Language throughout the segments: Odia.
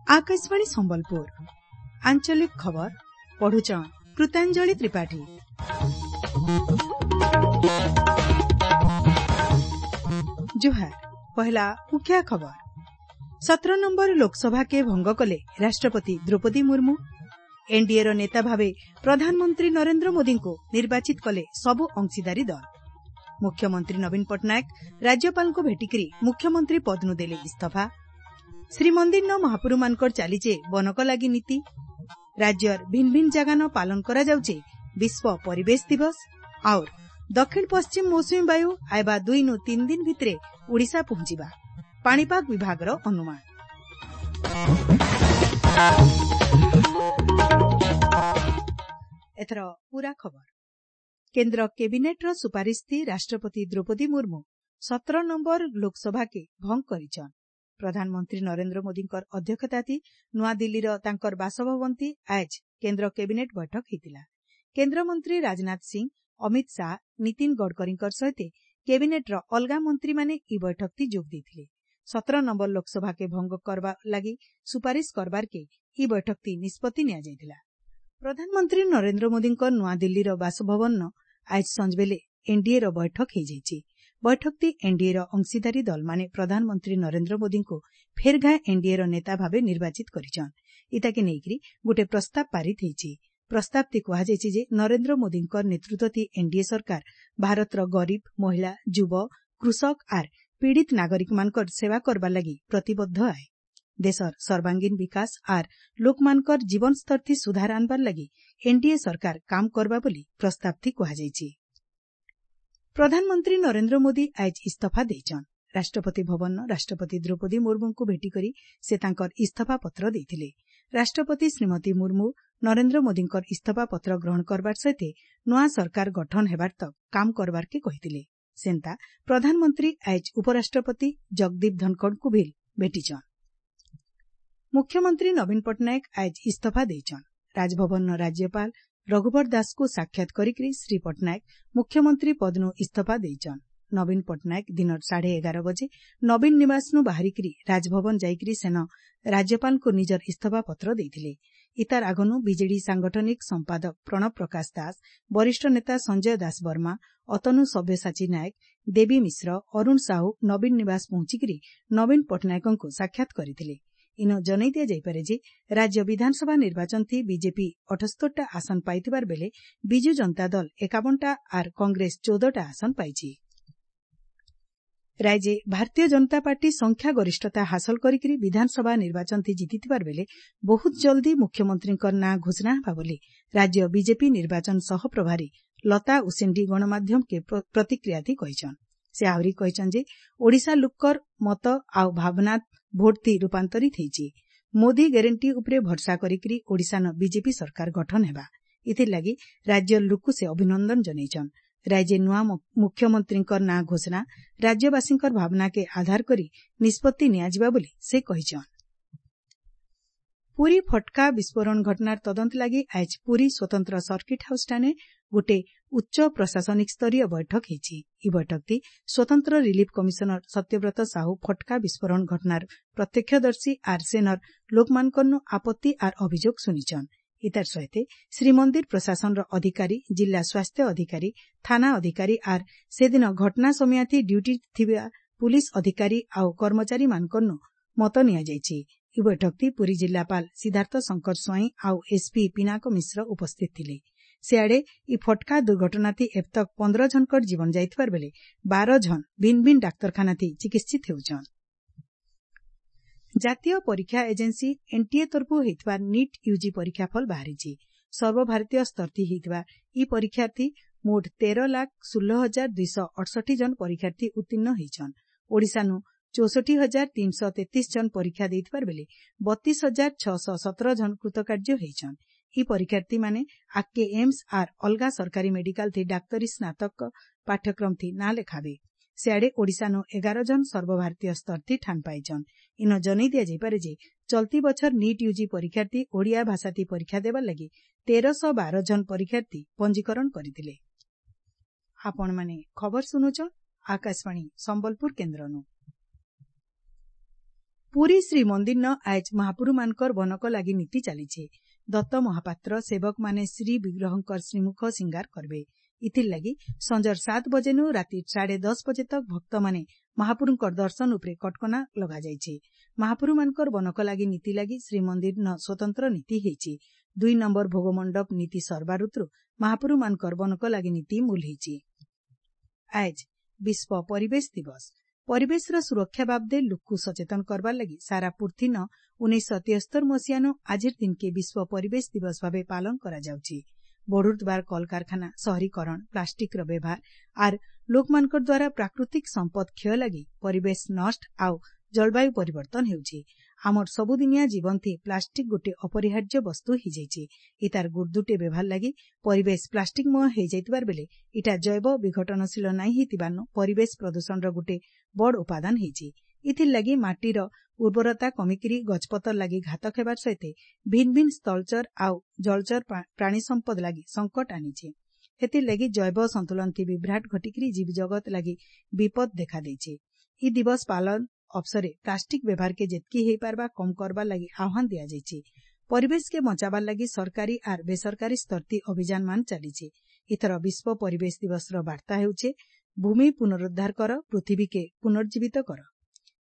Akashvani Sambalpur ଆଞ୍ଚଳିକ ଖବର ପଢୁଛନ୍ କୃତାଞ୍ଜଳି ତ୍ରିପାଠୀ। ଜୁହାର, ପହଲା ମୁଖ୍ୟ ଖବର। 17 ନମ୍ବର ଲୋକସଭା କେ ଭଙ୍ଗ କଲେ ରାଷ୍ଟ୍ରପତି ଦ୍ରୌପଦୀ ମୁର୍ମୁ। ଏନ୍ଡିଏର ନେତା ଭାବେ ପ୍ରଧାନମନ୍ତ୍ରୀ ନରେନ୍ଦ୍ର ମୋଦିଙ୍କୁ ନିର୍ବାଚିତ କଲେ ସବୁ ଅଂଶୀଦାରୀ ଦଳ। ମୁଖ୍ୟମନ୍ତ୍ରୀ ନବୀନ ପଟ୍ଟନାୟକ ରାଜ୍ୟପାଳଙ୍କୁ ଭେଟିକରି ମୁଖ୍ୟମନ୍ତ୍ରୀ ପଦନୁ ଦେଲେ ଇସ୍ତଫା। ଶ୍ରୀମନ୍ଦିରନ ମହାପୁରୁମାନଙ୍କର ଚାଲିଛେ ବନକଲାଗି ନୀତି। ରାଜ୍ୟର ଭିନ୍ ଭିନ୍ ଜାଗାନ ପାଳନ କରାଯାଉଛେ ବିଶ୍ୱ ପରିବେଶ ଦିବସ। ଆଉର୍ ଦକ୍ଷିଣ ପଶ୍ଚିମ ମୌସୁମୀ ବାୟୁ ଆଇବା 2 ନୁ 3 ଦିନ ଭିତରେ ଓଡ଼ିଶା ପହଞ୍ଚିବା ପାଣିପାଗ ବିଭାଗର ଅନୁମାନ। ଏଥର ପୂରା ଖବର। କେନ୍ଦ୍ର କ୍ୟାବିନେଟ୍ର ସୁପାରିଶ ରାଷ୍ଟ୍ରପତି ଦ୍ରୌପଦୀ ମୁର୍ମୁ 17 ନମ୍ବର ଲୋକସଭାକେ ଭଙ୍ଗ କରିଛନ୍। ପ୍ରଧାନମନ୍ତ୍ରୀ ନରେନ୍ଦ୍ର ମୋଦିଙ୍କର ଅଧ୍ୟକ୍ଷତାଥି ନୂଆଦିଲ୍ଲୀର ତାଙ୍କର ବାସଭବନଥି ଆଏଜ୍ କେନ୍ଦ୍ର କ୍ୟାବିନେଟ୍ ବୈଠକ ହେଇଥିଲା। କେନ୍ଦ୍ରମନ୍ତ୍ରୀ ରାଜନାଥ ସିଂ, ଅମିତ ଶାହା, ନୀତିନ ଗଡ଼କରୀଙ୍କର ସହିତ କ୍ୟାବିନେଟ୍ର ଅଲଗା ମନ୍ତ୍ରୀମାନେ ଇ ବୈଠକଥି ଯୋଗ ଦେଇଥିଲେ। 17 ନମ୍ବର ଲୋକସଭାକେ ଭଙ୍ଗ କରବା ଲାଗି ସୁପାରିଶ କରବାର୍କେ ଇ ବୈଠକଥି ନିଷ୍ପତ୍ତି ନିଆଯାଇଥିଲା। ପ୍ରଧାନମନ୍ତ୍ରୀ ନରେନ୍ଦ୍ର ମୋଦିଙ୍କ ନୂଆଦିଲ୍ଲୀର ବାସଭବନ ଆଏଜ୍ ସଞ୍ଜବେଲେ ଏନ୍ଡିଏର ବୈଠକ ହେଇଯାଇଛି। ବୈଠକଟି ଏନ୍ଡିଏର ଅଂଶୀଦାରୀ ଦଳମାନେ ପ୍ରଧାନମନ୍ତ୍ରୀ ନରେନ୍ଦ୍ର ମୋଦିଙ୍କୁ ଫେର୍ ଘାଏ ଏନ୍ଡିଏର ନେତା ଭାବେ ନିର୍ବାଚିତ କରିଛନ୍। ଇତାକେ ନେଇକରି ଗୋଟିଏ ପ୍ରସ୍ତାବ ପାରିତ ହେଇଛି। ପ୍ରସ୍ତାବଟି କୁହାଯାଇଛି ଯେ ନରେନ୍ଦ୍ର ମୋଦିଙ୍କ ନେତୃତ୍ୱଥି ଏନ୍ଡିଏ ସରକାର ଭାରତର ଗରିବ, ମହିଳା, ଯୁବ, କୃଷକ ଆର୍ ପୀଡ଼ିତ ନାଗରିକମାନଙ୍କର ସେବା କରବାର ଲାଗି ପ୍ରତିବଦ୍ଧ ଆଏ। ଦେଶର ସର୍ବାଙ୍ଗୀନ ବିକାଶ ଆର୍ ଲୋକମାନଙ୍କର ଜୀବନସ୍ତରଥି ସୁଧାର ଆନବାର ଲାଗି ଏନ୍ଡିଏ ସରକାର କାମ କରବା ବୋଲି ପ୍ରସ୍ତାବଥି କୁହାଯାଇଛି। ପ୍ରଧାନମନ୍ତ୍ରୀ ନରେନ୍ଦ୍ର ମୋଦି ଆଏଜ୍ ଇସ୍ତଫା ଦେଇଛନ୍। ରାଷ୍ଟ୍ରପତି ଭବନ ରାଷ୍ଟ୍ରପତି ଦ୍ରୌପଦୀ ମୁର୍ମୁଙ୍କୁ ଭେଟିକରି ସେ ତାଙ୍କର ଇସ୍ତଫା ପତ୍ର ଦେଇଥିଲେ। ରାଷ୍ଟ୍ରପତି ଶ୍ରୀମତୀ ମୁର୍ମୁ ନରେନ୍ଦ୍ର ମୋଦିଙ୍କର ଇସ୍ତଫା ପତ୍ର ଗ୍ରହଣ କରବାର ସହିତ ନୂଆ ସରକାର ଗଠନ ହେବାର ତକ୍ କାମ କରବାର୍କେ କହିଥିଲେ। ସେନ୍ତା ପ୍ରଧାନମନ୍ତ୍ରୀ ଆଏଜ୍ ଉପରାଷ୍ଟ୍ରପତି ଜଗଦୀପ ଧନଖଡ଼ଙ୍କୁ ବି ଭେଟିଛନ୍। ମୁଖ୍ୟମନ୍ତ୍ରୀ ନବୀନ ପଟ୍ଟନାୟକ ଆଏଜ୍ ଇସ୍ତଫା ଦେଇଛନ୍। ରାଜଭବନର ରାଜ୍ୟପାଳ ରଘୁବର ଦାସଙ୍କୁ ସାକ୍ଷାତ କରିକରି ଶ୍ରୀ ପଟ୍ଟନାୟକ ମୁଖ୍ୟମନ୍ତ୍ରୀ ପଦନୁ ଇସ୍ତଫା ଦେଇଛନ୍। ନବୀନ ପଟ୍ଟନାୟକ ଦିନର 11:30 ବଜେ ନବୀନ ନିବାସନୁ ବାହାରିକରି ରାଜଭବନ ଯାଇକରି ସେନ ରାଜ୍ୟପାଳଙ୍କୁ ନିଜର ଇସ୍ତଫା ପତ୍ର ଦେଇଥିଲେ। ଇତାର ଆଗନୁ ବିଜେଡି ସାଂଗଠନିକ ସମ୍ପାଦକ ପ୍ରଣବ ପ୍ରକାଶ ଦାସ, ବରିଷ୍ଠ ନେତା ସଞ୍ଜୟ ଦାସ ବର୍ମା, ଅତନୁ ସବ୍ୟସାଚୀ ନାୟକ, ଦେବୀ ମିଶ୍ର, ଅରୁଣ ସାହୁ ନବୀନ ନିବାସ ପହଞ୍ଚିକରି ନବୀନ ପଟ୍ଟନାୟକଙ୍କୁ ସାକ୍ଷାତ କରିଥିଲେ। ଇନ ଜଣାଇ ଦିଆଯାଇପାରେ ଯେ ରାଜ୍ୟ ବିଧାନସଭା ନିର୍ବାଚନଥି ବିଜେପି 78ଟା ଆସନ ପାଇଥିବାର ବେଲେ ବିଜୁ ଜନତା ଦଳ 51ଟା ଆର୍ କଂଗ୍ରେସ 14ଟା ଆସନ ପାଇଛି। ରାଜ୍ୟେ ଭାରତୀୟ ଜନତା ପାର୍ଟି ସଂଖ୍ୟା ଗରିଷ୍ଠତା ହାସଲ କରିକରି ବିଧାନସଭା ନିର୍ବାଚନଥି ଜିତିଥିବାର ବେଲେ ବହୁତ ଜଲ୍ଦି ମୁଖ୍ୟମନ୍ତ୍ରୀଙ୍କ ନାଁ ଘୋଷଣା ହେବା ବୋଲି ରାଜ୍ୟ ବିଜେପି ନିର୍ବାଚନ ସହପ୍ରଭାରୀ ଲତା ଉସେଣ୍ଡି ଗଣମାଧ୍ୟମକେ ପ୍ରତିକ୍ରିୟାଥି କହିଛନ୍। ସେ ଆହୁରି କହିଛନ୍ ଯେ ଓଡ଼ିଶା ଲୋକର ମତ ଆଉ ଭାବନା ଭୋଟଥି ରୂପାନ୍ତରିତ ହେଇଛି। ମୋଦି ଗ୍ୟାରେଣ୍ଟି ଉପରେ ଭରସା କରିକରି ଓଡ଼ିଶାନ ବିଜେପି ସରକାର ଗଠନ ହେବା। ଏଥିର୍ଲାଗି ରାଜ୍ୟର ଲୋକକୁ ସେ ଅଭିନନ୍ଦନ ଜଣାଇଛନ୍। ରାଜ୍ୟେ ନୂଆ ମୁଖ୍ୟମନ୍ତ୍ରୀଙ୍କର ନାଁ ଘୋଷଣା ରାଜ୍ୟବାସୀଙ୍କର ଭାବନାକେ ଆଧାର କରି ନିଷ୍ପତ୍ତି ନିଆଯିବା ବୋଲି ସେ କହିଛନ୍। ପୁରୀ ଫଟକା ବିସ୍ଫୋରଣ ଘଟଣାର ତଦନ୍ତ ଲାଗି ଆଏଜ୍ ପୁରୀ ସ୍ୱତନ୍ତ୍ର ସର୍କିଟ୍ ହାଉସ୍ଠାନେ ଗୋଟେ ଉଚ୍ଚ ପ୍ରଶାସନିକ ସ୍ତରୀୟ ବୈଠକ ହେଇଛି। ଇ ବୈଠକଥି ସ୍ୱତନ୍ତ୍ର ରିଲିଫ୍ କମିଶନର ସତ୍ୟବ୍ରତ ସାହୁ ଫଟକା ବିସ୍ଫୋରଣ ଘଟଣାର ପ୍ରତ୍ୟକ୍ଷଦର୍ଶୀ ଆର୍ ସେନର ଲୋକମାନଙ୍କରନୁ ଆପତ୍ତି ଆର୍ ଅଭିଯୋଗ ଶୁଣିଛନ୍। ଇତାର ସହିତ ଶ୍ରୀମନ୍ଦିର ପ୍ରଶାସନର ଅଧିକାରୀ, ଜିଲ୍ଲା ସ୍ୱାସ୍ଥ୍ୟ ଅଧିକାରୀ, ଥାନା ଅଧିକାରୀ ଆର୍ ସେଦିନ ଘଟଣା ସମୟାଥି ଡ୍ୟୁଟି ଥିବା ପୁଲିସ୍ ଅଧିକାରୀ ଆଉ କର୍ମଚାରୀମାନଙ୍କରନୁ ମତ ନିଆଯାଇଛି। ଇ ବୈଠକଥି ପୁରୀ ଜିଲ୍ଲାପାଳ ସିଦ୍ଧାର୍ଥ ଶଙ୍କର ସ୍ୱାଇଁ ଆଉ ଏସ୍ପି ପିନାକ ମିଶ୍ର ଉପସ୍ଥିତ ଥିଲେ। ସିଆଡ଼େ ଇ ଫଟକା ଦୁର୍ଘଟଣାଥି ଏବତକ୍ 15 ଜଣଙ୍କର ଜୀବନ ଯାଇଥିବାର ବେଲେ 12 ଜଣ ଭିନ୍ ଭିନ୍ ଡାକ୍ତରଖାନାଥି ଚିକିତ୍ସିତ ହେଉଛନ୍। ଜାତୀୟ ପରୀକ୍ଷା ଏଜେନ୍ସି ଏନ୍ଟିଏ ତରଫୁ ହେଇଥିବା ନିଟ୍ ୟୁଜି ପରୀକ୍ଷା ଫଳ ବାହାରିଛି। ସର୍ବଭାରତୀୟ ସ୍ତରଥି ହେଇଥିବା ଇ ପରୀକ୍ଷାର୍ଥୀ ମୋଟ 13,16,268 ଜଣ ପରୀକ୍ଷାର୍ଥୀ ଉତ୍ତୀର୍ଣ୍ଣ ହେଇଛନ୍। ଓଡ଼ିଶାନୁ 64,333 ଜଣ ପରୀକ୍ଷା ଦେଇଥିବାର ବେଲେ 32,617 ଜଣ କୃତକାର୍ଯ୍ୟ ହେଇଛନ୍। ଇ ପରୀକ୍ଷାର୍ଥୀମାନେ ଆଗ୍କେ ଏମ୍ସ ଆର୍ ଅଲଗା ସରକାରୀ ମେଡିକାଲଥି ଡାକ୍ତରୀ ସ୍ନାତକ ପାଠ୍ୟକ୍ରମଥି ନାଁ ଲେଖାବେ। ସିଆଡ଼େ ଓଡ଼ିଶାନୁ 11 ଜଣ ସର୍ବଭାରତୀୟ ସ୍ତରଥି ଠାନ୍ ପାଇଛନ୍। ଇନ ଜଣେଇ ଦିଆଯାଇପାରେ ଯେ ଚଲ୍ତି ବଛର ନିଟ୍ ୟୁଜି ପରୀକ୍ଷାର୍ଥୀ ଓଡ଼ିଆ ଭାଷାଥି ପରୀକ୍ଷା ଦେବାର ଲାଗି 1312 ଜଣ ପରୀକ୍ଷାର୍ଥୀ ପଞ୍ଜୀକରଣ କରିଥିଲେ। ଆପଣମାନେ ଖବର ଶୁଣୁଛନ୍ ଆକାଶବାଣୀ ସମ୍ବଲପୁର କେନ୍ଦ୍ରନୁ। ପୁରୀ ଶ୍ରୀମନ୍ଦିରନ ଆଏଜ୍ ମହାପୁରୁମାନଙ୍କର ବନକ ଲାଗି ନୀତି ଚାଲିଛେ। ଦତ୍ତ ମହାପାତ୍ର ସେବକମାନେ ଶ୍ରୀବିଗ୍ରହଙ୍କର ଶ୍ରୀମୁଖ ସିଙ୍ଗାର କରବେ। ଇଥିର୍ଲାଗି ସଞ୍ଜର 7 ବଜେନୁ ରାତି 10:30 ବଜେ ତକ୍ ଭକ୍ତମାନେ ମହାପୁରୁଙ୍କର ଦର୍ଶନ ଉପରେ କଟକଣା ଲଗାଯାଇଛେ। ମହାପୁରୁମାନଙ୍କର ବନକ ଲାଗି ନୀତି ଲାଗି ଶ୍ରୀମନ୍ଦିରନ ସ୍ୱତନ୍ତ୍ର ନୀତି ହେଇଛି। 2 ନମ୍ବର ଭୋଗମଣ୍ଡପ ନୀତି ସରବାର ଋତୁରୁ ମହାପୁରୁମାନଙ୍କର ବନକ ଲାଗି ନୀତି ମୂଲ ହେଇଛି। ଆଏଜ୍ ବିଶ୍ୱ ପରିବେଶ ଦିବସ। ପରିବେଶର ସୁରକ୍ଷା ବାବଦେ ଲୁକ୍କୁ ସଚେତନ କରବାର୍ ଲାଗି ସାରା ପୃଥିନ 1973 ମସିହାନୁ ଆଜିର୍ ଦିନ୍କେ ବିଶ୍ୱ ପରିବେଶ ଦିବସ ଭାବେ ପାଳନ କରାଯାଉଛି। ବଢ଼ୁଥିବାର କଳକାରଖାନା, ସହରୀକରଣ, ପ୍ଲାଷ୍ଟିକ୍ର ବ୍ୟବହାର ଆର୍ ଲୋକମାନଙ୍କର ଦ୍ୱାରା ପ୍ରାକୃତିକ ସମ୍ପଦ କ୍ଷୟ ଲାଗି ପରିବେଶ ନଷ୍ଟ ଆଉ ଜଳବାୟୁ ପରିବର୍ତ୍ତନ ହେଉଛି। ଆମର ସବୁଦିନିଆ ଜୀବନ୍ଥି ପ୍ଲାଷ୍ଟିକ୍ ଗୋଟିଏ ଅପରିହାର୍ଯ୍ୟ ବସ୍ତୁ ହେଇଯାଇଛି। ଇତାର ଗୁର୍ଦୁଟେ ବ୍ୟବହାର ଲାଗି ପରିବେଶ ପ୍ଲାଷ୍ଟିକ୍ମୟ ହେଇଯାଇଥିବାର ବେଲେ ଇଟା ଜୈବ ବିଘଟନଶୀଳ ନାଇଁ ହେଇଥିବାରନୁ ପରିବେଶ ପ୍ରଦୂଷଣର ଗୋଟେ ବଡ଼ ଉପାଦାନ ହେଇଛି। ଇଥିର୍ଲାଗି ମାଟିର ଉର୍ବରତା କମିକିରି ଗଛପତର ଲାଗି ଘାତକ ହେବାର ସହିତ ଭିନ୍ ଭିନ୍ ସ୍ଥଳଚର ଆଉ ଜଳଚର ପ୍ରାଣୀ ସମ୍ପଦ ଲାଗି ସଙ୍କଟ ଆନିଛେ। ହେଥିର୍ଲାଗି ଜୈବ ସନ୍ତୁଳନ ଥି ବିଭ୍ରାଟ ଘଟିକିରି ଜୀବଜଗତ ଲାଗି ବିପଦ ଦେଖାଦେଇଛେ। ଇ ଦିବସ ପାଳନ ଅବସରେ ପ୍ଲାଷ୍ଟିକ୍ ବ୍ୟବହାରକେ ଯେତ୍କି ହେଇପାରବା କମ୍ କରବାର୍ ଲାଗି ଆହ୍ୱାନ ଦିଆଯାଇଛି। ପରିବେଶକେ ବଞ୍ଚାବାର୍ ଲାଗି ସରକାରୀ ଆର୍ ବେସରକାରୀ ସ୍ତରଥି ଅଭିଯାନମାନ ଚାଲିଛେ। ଏଥର ବିଶ୍ୱ ପରିବେଶ ଦିବସର ବାର୍ତ୍ତା ହେଉଛେ, ଭୂମି ପୁନରୁଦ୍ଧାର କର, ପୃଥିବୀକେ ପୁନର୍ଜୀବିତ କର।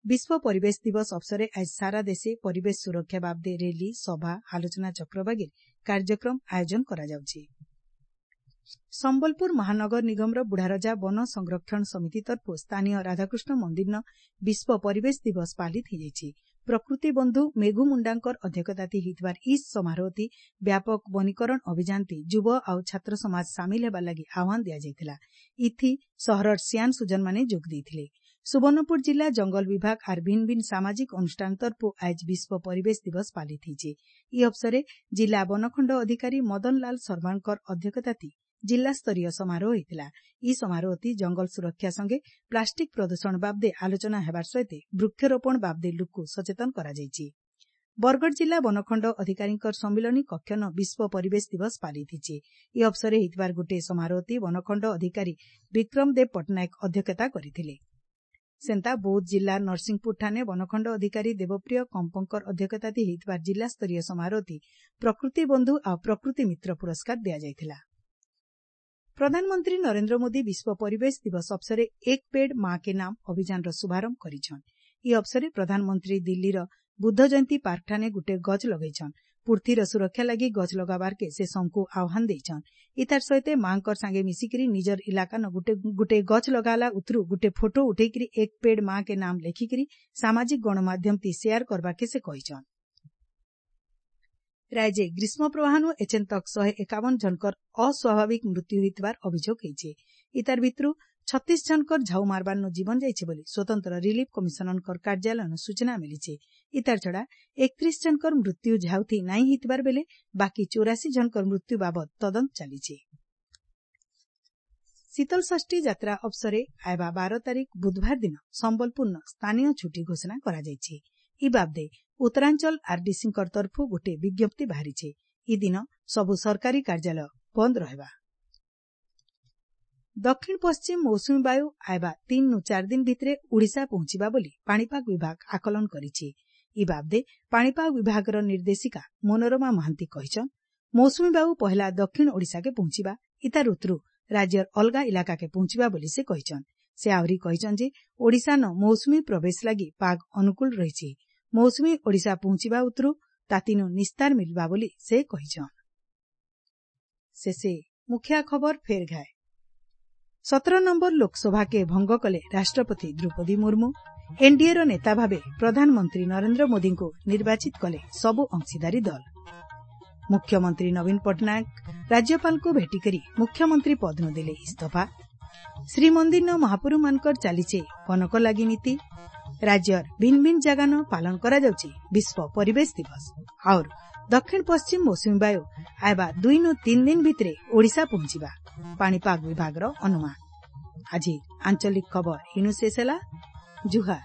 ବିଶ୍ୱ ପରିବେଶ ଦିବସ ଅବସରେ ଆଜ୍ ସାରା ଦେଶେ ପରିବେଶ ସୁରକ୍ଷା ବାବଦେ ରେଲି, ସଭା, ଆଲୋଚନା ଚକ୍ର ବାଗିର୍ କାର୍ଯ୍ୟକ୍ରମ ଆୟୋଜନ କରାଯାଉଛି। ସମ୍ବଲପୁର ମହାନଗର ନିଗମର ବୁଢ଼ାରଜା ବନ ସଂରକ୍ଷଣ ସମିତି ତରଫରୁ ସ୍ଥାନୀୟ ରାଧାକୃଷ୍ଣ ମନ୍ଦିରନ ବିଶ୍ୱ ପରିବେଶ ଦିବସ ପାଳିତ ହେଇଯାଇଛି। ପ୍ରକୃତି ବନ୍ଧୁ ମେଘୁ ମୁଣ୍ଡାଙ୍କର ଅଧ୍ୟକ୍ଷତାଥି ହେଇଥିବାର ଇ ସମାରୋହଥି ବ୍ୟାପକ ବନୀକରଣ ଅଭିଯାନଥି ଯୁବ ଆଉ ଛାତ୍ର ସମାଜ ସାମିଲ ହେବାର ଲାଗି ଆହ୍ୱାନ ଦିଆଯାଇଥିଲା। ଇଥି ସହରର ସିଆନ୍ ସୁଜନମାନେ ଯୋଗ ଦେଇଥିଲେ। ସୁବର୍ଣ୍ଣପୁର ଜିଲ୍ଲା ଜଙ୍ଗଲ ବିଭାଗ ଆର୍ ଭିନ୍ ଭିନ୍ ସାମାଜିକ ଅନୁଷ୍ଠାନ ତରଫରୁ ଆଏଜ୍ ବିଶ୍ୱ ପରିବେଶ ଦିବସ ପାଳିତ ହେଇଛେ। ଇ ଅବସରେ ଜିଲ୍ଲା ବନଖଣ୍ଡ ଅଧିକାରୀ ମଦନଲାଲ ଶର୍ମାଙ୍କର ଅଧ୍ୟକ୍ଷତାଥି ଜିଲ୍ଲାସ୍ତରୀୟ ସମାରୋହ ହେଇଥିଲା। ଇ ସମାରୋହଥି ଜଙ୍ଗଲ ସୁରକ୍ଷା ସଙ୍ଗେ ପ୍ଲାଷ୍ଟିକ୍ ପ୍ରଦୂଷଣ ବାବଦେ ଆଲୋଚନା ହେବାର ସହିତ ବୃକ୍ଷରୋପଣ ବାବଦେ ଲୁକ୍କୁ ସଚେତନ କରାଯାଇଛି। ବରଗଡ଼ ଜିଲ୍ଲା ବନଖଣ୍ଡ ଅଧିକାରୀଙ୍କର ସମ୍ମିଳନୀ କକ୍ଷନ ବିଶ୍ୱ ପରିବେଶ ଦିବସ ପାଳିତ ହେଇଛି। ଇ ଅବସରେ ହେଇଥିବାର ଗୋଟିଏ ସମାରୋହଥି ବନଖଣ୍ଡ ଅଧିକାରୀ ବିକ୍ରମ ଦେବ ପଟ୍ଟନାୟକ ଅଧ୍ୟକ୍ଷତା କରିଥିଲେ। ସେନ୍ତା ବୌଦ୍ଧ ଜିଲ୍ଲା ନରସିଂହପୁର ଠାନେ ବନଖଣ୍ଡ ଅଧିକାରୀ ଦେବପ୍ରିୟ କମ୍ପଙ୍କର ଅଧ୍ୟକ୍ଷତାଥି ହେଇଥିବାର ଜିଲ୍ଲାସ୍ତରୀୟ ସମାରୋହଥି ପ୍ରକୃତି ବନ୍ଧୁ ଆଉ ପ୍ରକୃତି ମିତ୍ର ପୁରସ୍କାର ଦିଆଯାଇଥିଲା। ପ୍ରଧାନମନ୍ତ୍ରୀ ନରେନ୍ଦ୍ର ମୋଦି ବିଶ୍ୱ ପରିବେଶ ଦିବସ ଅବସରେ ଏକ ପେଡ୍ ମା କେ ନାମ ଅଭିଯାନର ଶୁଭାରମ୍ଭ କରିଛନ୍। ଇ ଅବସରେ ପ୍ରଧାନମନ୍ତ୍ରୀ ଦିଲ୍ଲୀର ବୁଦ୍ଧ ଜୟନ୍ତୀ ପାର୍କଠାନେ ଗୁଟେ ଗଛ ଲଗେଇଛନ୍। ପୃଥିବୀର ସୁରକ୍ଷା ଲାଗି ଗଛ ଲଗାବାର୍କେ ସେ ସମକୁ ଆହ୍ୱାନ ଦେଇଛନ୍। ଇତାର ସହିତ ମାଙ୍କର ସାଙ୍ଗେ ମିଶିକିରି ନିଜର ଇଲାକାନ ଗୁଟେ ଗୁଟେ ଗଛ ଲଗାଲା ଉଥରୁ ଗୁଟେ ଫଟୋ ଉଠେଇକିରି ଏକ ପେଡ୍ ମା କେ ନାମ ଲେଖିକିରି ସାମାଜିକ ଗଣମାଧ୍ୟମ ତି ସେୟାର କରବାକେ ସେ କହିଛନ୍। ରାଜ୍ୟେ ଗ୍ରୀଷ୍ମ ପ୍ରବାହନୁ ଏଚେନ୍ ତକ୍ 151 ଜଣଙ୍କର ଅସ୍ୱାଭାବିକ ମୃତ୍ୟୁ ହୋଇଥିବାର ଅଭିଯୋଗ ହେଇଛେ। ଇତାର ଭିତରୁ 36 ଜଣଙ୍କର ଝାଉ ମାରବାରନୁ ଜୀବନ ଯାଇଛି ବୋଲି ସ୍ୱତନ୍ତ୍ର ରିଲିଫ୍ କମିଶନରଙ୍କର କାର୍ଯ୍ୟାଳୟନୁ ସୂଚନା ମିଳିছে। ଇତାର ଛଡ଼ା 31 ଜଣଙ୍କର ମୃତ୍ୟୁ ଝାଉଥି ନାଇଁ ହେଇଥିବାର ବେଲେ ବାକି 84 ଜଣଙ୍କର ମୃତ୍ୟୁ ବାବଦ ତଦନ୍ତ ଚାଲିছে। ଶୀତଳଷଷ୍ଠୀ ଯାତ୍ରା ଅବସରେ ଆଇବା 12 ତାରିଖ ବୁଧବାର ଦିନ ସମ୍ବଲପୁରନ ସ୍ଥାନୀୟ ଛୁଟି ଘୋଷଣା କରାଯାଇଛି। ଇ ବାବଦେ ଉତ୍ତରାଞ୍ଚଳ ଆରଡିସିଙ୍କର ତରଫରୁ ଗୋଟିଏ ବିଜ୍ଞପ୍ତି ବାହାରିছে। ଇ ଦିନ ସବୁ ସରକାରୀ କାର୍ଯ୍ୟାଳୟ ବନ୍ଦ ରହିବା। ଦକ୍ଷିଣ ପଶ୍ଚିମ ମୌସୁମୀ ବାୟୁ ଆଇବା 3ରୁ 4 ଦିନ ଭିତରେ ଓଡ଼ିଶା ପହଞ୍ଚିବା ବୋଲି ପାଣିପାଗ ବିଭାଗ ଆକଳନ କରିଛି। ଇ ବାବଦେ ପାଣିପାଗ ବିଭାଗର ନିର୍ଦ୍ଦେଶିକା ମନୋରମା ମହାନ୍ତି କହିଛନ୍, ମୌସୁମୀ ବାୟୁ ପହିଲା ଦକ୍ଷିଣ ଓଡ଼ିଶାକେ ପହଞ୍ଚିବା, ଇତାର ଉତ୍ତରୁ ରାଜ୍ୟର ଅଲଗା ଇଲାକାକେ ପହଞ୍ଚିବା ବୋଲି ସେ କହିଛନ୍। ସେ ଆହୁରି କହିଛନ୍ ଯେ ଓଡ଼ିଶାନ ମୌସୁମୀ ପ୍ରବେଶ ଲାଗି ପାଗ ଅନୁକୂଳ ରହିଛି। ମୌସୁମୀ ଓଡ଼ିଶା ପହଞ୍ଚିବା ଉତ୍ତରୁ ତାତିନୁ ନିସ୍ତାର ମିଳିବା ବୋଲି ସେ କହିଛନ୍। ଶେଷେ ମୁଖିଆ ଖବର ଫେର ଘାଏ। 17 ନମ୍ବର ଲୋକସଭାକେ ଭଙ୍ଗ କଲେ ରାଷ୍ଟ୍ରପତି ଦ୍ରୌପଦୀ ମୁର୍ମୁ। ଏନ୍ଡିଏର ନେତା ଭାବେ ପ୍ରଧାନମନ୍ତ୍ରୀ ନରେନ୍ଦ୍ର ମୋଦିଙ୍କୁ ନିର୍ବାଚିତ କଲେ ସବୁ ଅଂଶୀଦାରୀ ଦଳ। ମୁଖ୍ୟମନ୍ତ୍ରୀ ନବୀନ ପଟ୍ଟନାୟକ ରାଜ୍ୟପାଳଙ୍କୁ ଭେଟିକରି ମୁଖ୍ୟମନ୍ତ୍ରୀ ପଦନୁ ଦେଲେ ଇସ୍ତଫା। ଶ୍ରୀମନ୍ଦିରନ ମହାପୁରୁମାନଙ୍କର ଚାଲିଛେ କନକ ଲାଗି ନୀତି। ରାଜ୍ୟର ଭିନ୍ ଭିନ୍ ଜାଗାନ ପାଳନ କରାଯାଉଛି ବିଶ୍ୱ ପରିବେଶ ଦିବସ। ଆଉର ଦକ୍ଷିଣ ପଶ୍ଚିମ ମୌସୁମୀ ବାୟୁ ଆଇବା 2ରୁ 3 ଦିନ ଭିତରେ ଓଡ଼ିଶା ପହଞ୍ଚିବା ପାଣିପାଗ ବିଭାଗର ଅନୁମାନ। ଆଜି ଆଞ୍ଚଳିକ ଖବର ଇନୁ ଶେଷ ହେଲା। ଜୁହାର।